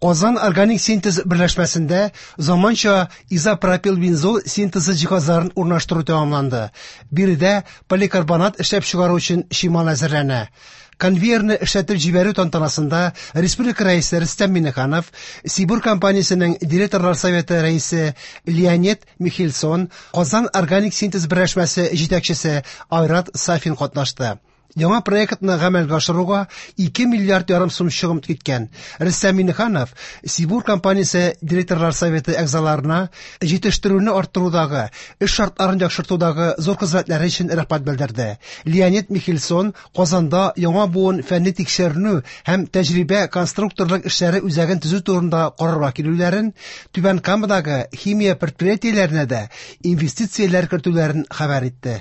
Казан органик синтез берләшмәсендә заманча изопропилбензол синтезы җиһазларын урнаштыру тәмамланды. Биредә поликарбонат эшләп чыгару өчен чимал әзерләнә. Конвейерны эшләтеп җибәрү тантанасында республика Рәисе Рөстәм Миңнеханов, Сибур компаниясенең директорлар советы рәисе Леонид Михельсон, Казан органик синтез берләшмәсе җитәкчесе Айрат Сафин катнашты. Яңа проектны гамәлгә ашыруга 2 миллиард ярым сум чыгым киткән. Рөстәм Миңнеханов Сибур компаниясе директорлар советы әгъзаларына җитештерүне арттырудагы, эш шартларын яхшыртудагы зур хезмәтләре өчен рәхмәт белдерде. Леонид Михельсон Казанда яңа буын фәнни тикшеренү һәм тәҗрибә конструкторлык эшләре үзәген төзү турында карарга килүләрен, Түбән Камадагы химия предприятиеләренә дә инвестицияләр кертүләрен хәбәр итте.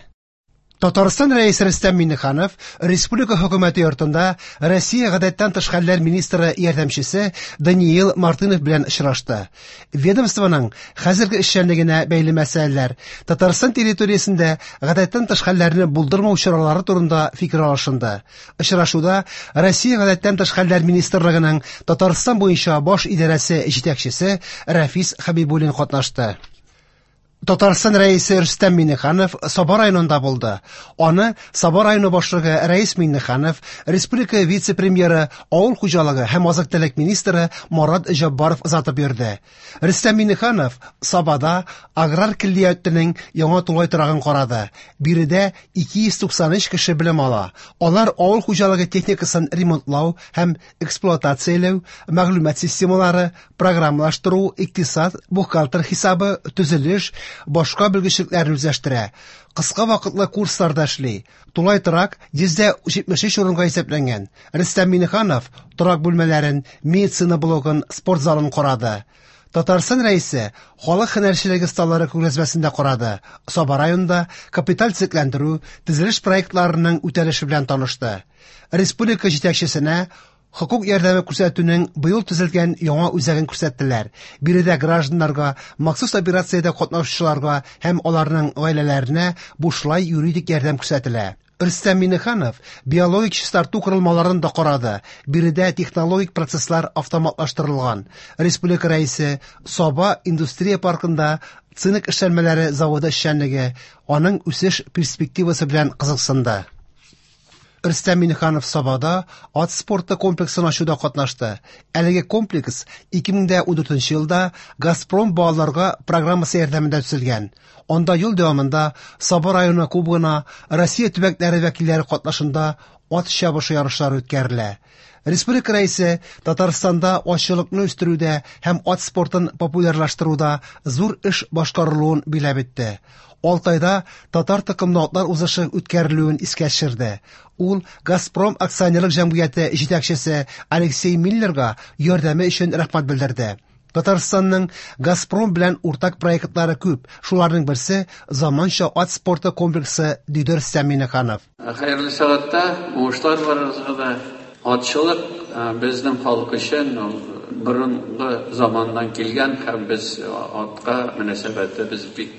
Татарстан Рәисе Рөстәм Миңнеханов республика хөкүмәте йортында Россия гадәттән тыш хәлләр министры ярдәмчесе Даниил Мартынов белән очрашты. Ведомствоның хәзерге эшчәнлегенә бәйле мәсьәләләр, Татарстан территориясендә гадәттән тыш хәлләрне булдырмау чаралары турында фикер алышынды. Очрашуда Россия гадәттән тыш хәлләр министрлыгының Татарстан буенча баш идарәсе җитәкчесе Рәфис Хәбибуллин катнашты. Татарстан Рәисе Рөстәм Миңнеханов Саба районында булды. Аны Саба районы башлыгы Рәис Миңнеханов, республика вице-премьеры, авыл хуҗалыгы һәм азык-төлек министры Марат Җаббаров озатып йөрде. Рөстәм Миңнеханов Сабада аграр көллиятенең яңа тулай торагын карады. Биредә 293 кеше белем ала. Алар авыл хуҗалыгы техникасын ремонтлау һәм эксплуатацияләү, мәгълүмат системалары, программалаштыру, икътисад, бухгалтер хисабы, төзелеш, башка белгечлекләрне үзләштерә. Кыска вакытлы курсларда эшли. Тулай торак 173 урынга исәпләнгән. Рөстәм Миңнеханов торак бүлмәләрен, медицина блогын, спорт залын карады. Татарстан Рәисе халык һөнәрчелеге осталары күргәзмәсен дә карады. Саба районында капиталь төзекләндерү, төзелеш проектларының үтәлеше белән танышты. Республика җитәкчесенә хокук ярдәме күрсәтүнең быел төзелгән яңа үзәген күрсәттеләр. Биредә гражданнарга, махсус операциядә катнашучыларга һәм аларның гаиләләренә бушлай юридик ярдәм күрсәтелә. Рөстәм Миңнеханов биологик чистарту корылмаларын да карады. Биредә технологик процесслар автоматлаштырылган. Республика Рәисе Саба индустрия паркында цинк эшләнмәләре заводы эшчәнлеге, аның үсеш перспективасы белән кызыксынды. Рөстәм Миңнеханов Сабада ат спорты комплексын ачуда катнашты. Әлеге комплекс 2014 елда Газпром балаларга программасы ярдәмендә төзелгән. Анда ел дәвамында Саба районы кубогына Россия төбәкләре вәкилләре катнашында ат чабышы ярышлары үткәрелә. Республика Рәисе Татарстанда атчылыкны үстерүдә һәм ат спортын популярлаштыруда зур эш башкарылуын биләп үтте. Алтайда татар токымлы атлар узышы үткәрелүен искә төшерде. Ул Газпром акционерлык җәмгыяте җитәкчесе Алексей Миллерга ярдәме өчен рәхмәт белдерде. Татарстанның Газпром белән уртак проектлары күп. Шуларның берсе заманча ат спорты комплексы, диде Рөстәм Миңнеханов. Хәерле сәгатьтә, уңышлар барыгызга да. Атчылык безнең халык өчен ул борынгы заманнан килгән һәм без атка мөнәсәбәтебез бик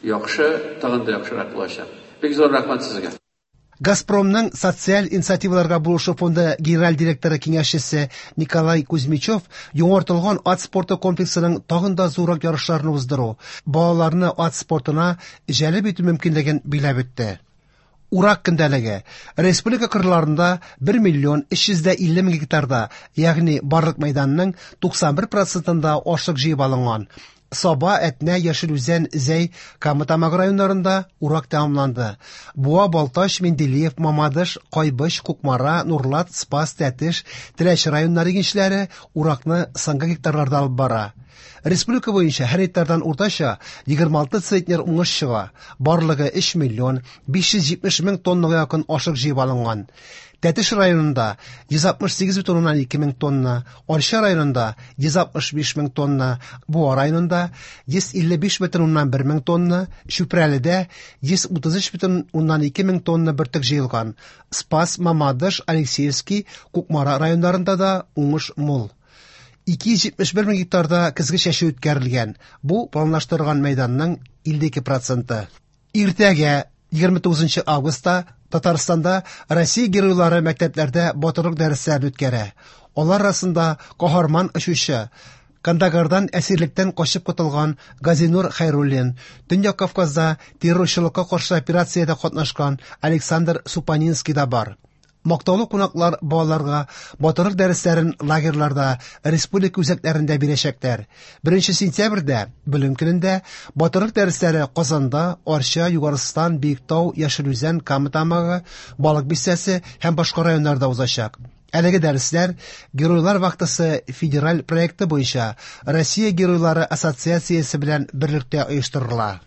яхшы, тагын да яхшырак булачак. Бик зур рәхмәт сезгә. Газпромның социаль инициативаларга булышу фонды генераль директоры киңәшчесе Николай Кузьмичев яңартылган ат спорты комплексының тагын да зуррак ярышларны уздыру, балаларны ат спортына җәлеп итү мөмкинлеген биләп үтте. Урак көндәлеге. Республика кырларында 1 миллион 350 мең гектарда, ягъни барлык мәйданның 91 процентында ашлык җыеп алынган. Саба, Әтнә, Яшел Үзән, Зәй, Кама Тамагы районнарында урак тәмамланды. Буа, Балтач, Менделеев, Мамадыш, Кайбыч, Кукмара, Нурлат, Спас, Тәтеш, Теләче районнары игенчеләре уракны соңгы гектарларда алып бара. Республика буенча һәр гектардан уртача 26 центнер уңыш чыга. Барлыгы 3 миллион 570 мең тоннага якын ашлык җыеп алынган. Тәтеш районында 168,2 мең тонна, Арча районында 165 мең тонна, Буа районында 155,1 мең тонна, Чүпрәледә 133,2 мең тонна бөртек җыелган. Спас, Мамадыш, Алексеевский, Кукмара районнарында да уңыш мул. 271 мең гектарда көзге чәчү үткәрелгән. Бу планлаштырылган мәйданның 52 проценты. Иртәгә 29 августта Татарстанда Россия геройлары мәктәпләрдә батырлык дәресләрен үткәрә. Алар арасында каһарман очучы, Кандагардан әсирлектән качып котылган Газинур Хәйруллин, Төньяк Кавказда террорчылыкка каршы операциядә катнашкан Александр Супанинский да бар. Мактаулы кунаклар балаларга батырлык дәресләрен лагерьларда, республика үзәкләрендә бирәчәкләр. 1 сентябрьдә, Белем көнендә, батырлык дәресләре Казанда, Арча, Югарыстан, Биектау, Яшел Үзән, Кама Тамагы, Балык Бистәсе һәм башка районнарда узачак. Әлеге дәресләр Геройлар вахтасы федераль проекты буенча Россия Геройлары ассоциациясе белән берлектә оештырыла.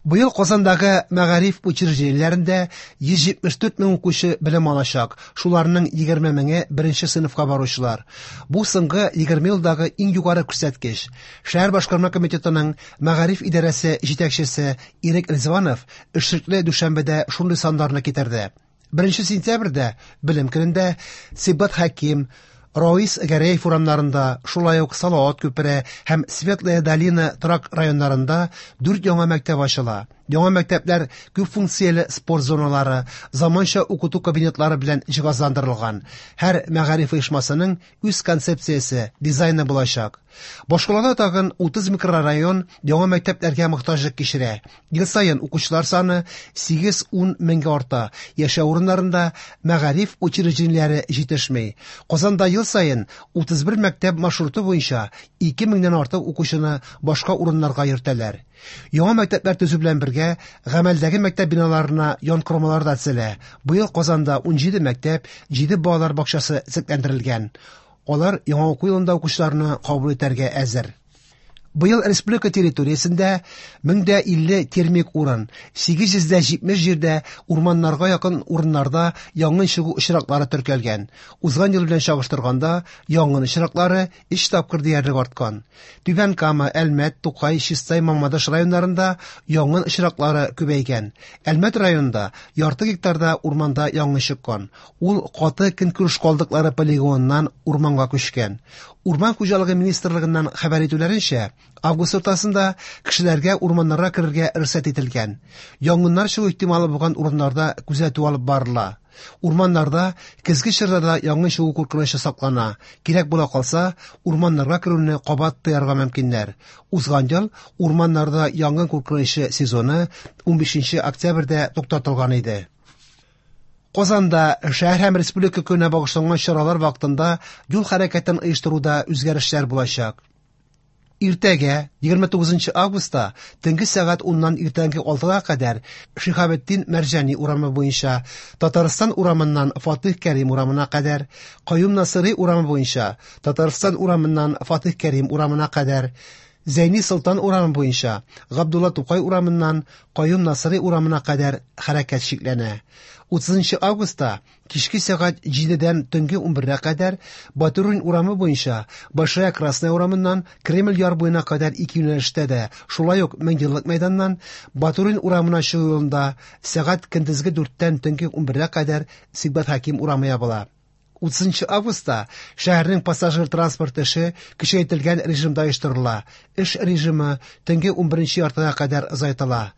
Быел Казандагы мәгариф учреждениеләрендә 174 мең укучы белем алачак, шуларның 20 меңе беренче сыйныфка баручылар. Бу соңгы 20 елдагы иң югары күрсәткеч. Шәһәр башкарма комитетының мәгариф идарәсе җитәкчесе Ирек Ризванов эшлекле дүшәмбедә шундый саннарны китерде. 1 сентябрьдә, Белем көнендә, Сибгат Хәким, Раис Гәрәев урамнарында, шулай ук Салават күпере һәм Светлая долина торак районнарында дүрт яңа мәктәп ачыла. Яңа мәктәпләр күп функцияле спорт зоналары, заманча укыту кабинетлары белән җиһазландырылган. Һәр мәгариф оешмасының үз концепциясе, дизайны булачак. Башкалада тагын 30 микрорайон яңа мәктәпләргә мохтаҗлык кичерә. Ел саен укучылар саны 8-10 меңгә арта. Яшәү урыннарында мәгариф учреждениеләре җитешми. Казанда ел саен 31 мәктәп маршруты буенча 2 меңнән артык укучыны башка урыннарга йөртәләр. Яңа мәктәпләр төзү белән бергә, гамәлдәге мәктәп биналарына янкормалар да төзелә. Быел Казанда 17 мәктәп, 7 балалар бакчасы төзекләндерелгән. Алар яңа уку елында укучыларны кабул итәргә әзер. Быел республика территориясендә 1050 термик урын, 870 җирдә урманнарга якын урыннарда янгын чыгу очраклары теркәлгән. Узган ел белән чагыштырганда, янгын очраклары 3 тапкыр диярлек арткан. Түбән Кама, Әлмәт, Тукай, Чистай, Мамадыш районнарында янгын очраклары күбәйгән. Әлмәт районында ярты гектарда урманда янгын чыккан. Ул каты көнкүреш калдыклары полигоныннан урманга күчкән. Урман хуҗалыгы министрлыгыннан хәбәр итүләренчә, август уртасында кешеләргә урманнарга керергә рөхсәт ителгән. Янгыннар чыгу ихтималы булган урыннарда күзәтү алып барыла. Урманнарда көзге чорда да янгын чыгу куркынычы саклана. Кирәк була калса, урманнарга керүне кабат тыярга мөмкиннәр. Узган ел урманнарда янгын куркынычы сезоны 15 октябрьдә туктатылган иде. Казанда шәһәр һәм республика көненә багышланган чаралар вакытында юл хәрәкәтен оештыруда үзгәрешләр булачак. Иртәгә, 29 августта, төнге сәгать 10-нан иртәнге 6-га кадәр Шиһабетдин Мәрҗани урамы буенча Татарстан урамыннан Фатих Кәрим урамына кадәр, Каюм Насыйри урамы буенча Татарстан урамыннан Фатих Кәрим урамына кадәр, Зәйни Солтан урамы буенча Габдулла Тукай урамыннан Каюм Насыйри урамына кадәр хәрәкәт чикләнә. 30 августта кичке сәгать 7-дән төнге 11-гә кадәр Батурин урамы буенча Большая Красная урамыннан Кремль яр буена кадәр ике юнәлештә дә, шулай ук Меңьеллык мәйданнан Батурин урамына чыгу юлында сәгать көндезге 4-тән төнге 11-гә кадәр Сибгат Хәким урамы ябыла. 30 августта шәһәрнең пассажир транспорт эше көчәйтелгән режимда оештырыла. Эш режимы төнге 11 яртыга кадәр озайтыла.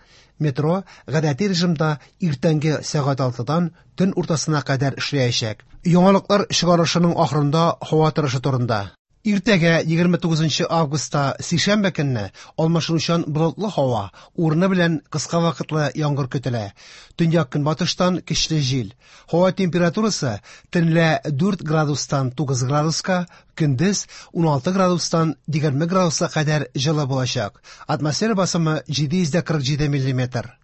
Метро гадәти режимда иртәнге сәгать 6-дан төн уртасына кадәр эшләячәк. Яңалыклар чыгарылышының ахырында һава торышы турында. Иртәгә 29 августта сишәмбе көнне алмашынучан болытлы һава, урыны белән кыска вакытлы яңгыр көтелә. Төньяк көнбатыштан көчле җил. Һава температурасы төнлә 4 градустан 9 градуска, көндез 16 градустан 20 градуска кадәр җылы булачак. Атмосфера басымы 747 миллиметр.